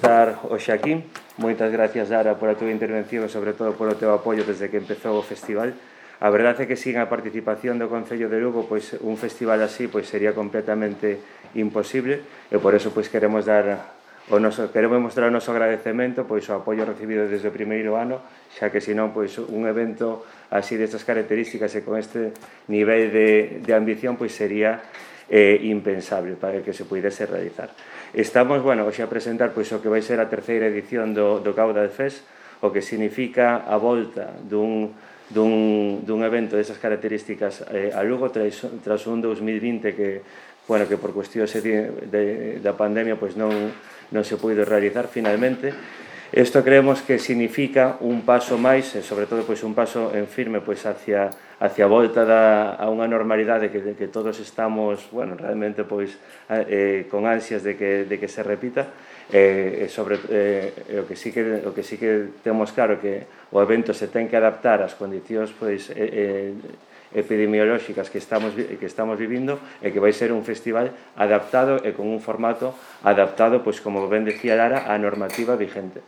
estar hoxe aquí. Moitas gracias, Lara, pola túa intervención e sobre todo polo teu apoio desde que empezou o festival. A verdade é que sin a participación do Concello de Lugo, pois un festival así pois sería completamente imposible e por eso pois queremos mostrar o noso agradecemento pois o apoio recibido desde o primeiro ano, xa que senón pois un evento así destas características e con este nivel de ambición pois sería impensable para que se pudese realizar. Estamos, hoxe a presentar pois o que vai ser a terceira edición do Caudal Fest, o que significa a volta dun evento desas características a Lugo tras un 2020 que por cuestións da pandemia pois non se puido realizar finalmente. Isto creemos que significa un paso máis e sobre todo pois un paso en firme pois hacia a volta a unha normalidade que todos estamos realmente pois con ansias de que se repita o que sí que temos claro que o evento se ten que adaptar ás condicións pois epidemiolóxicas que estamos vivindo e que vai ser un festival adaptado e con un formato adaptado, pois como ben decía Lara, á normativa vigente.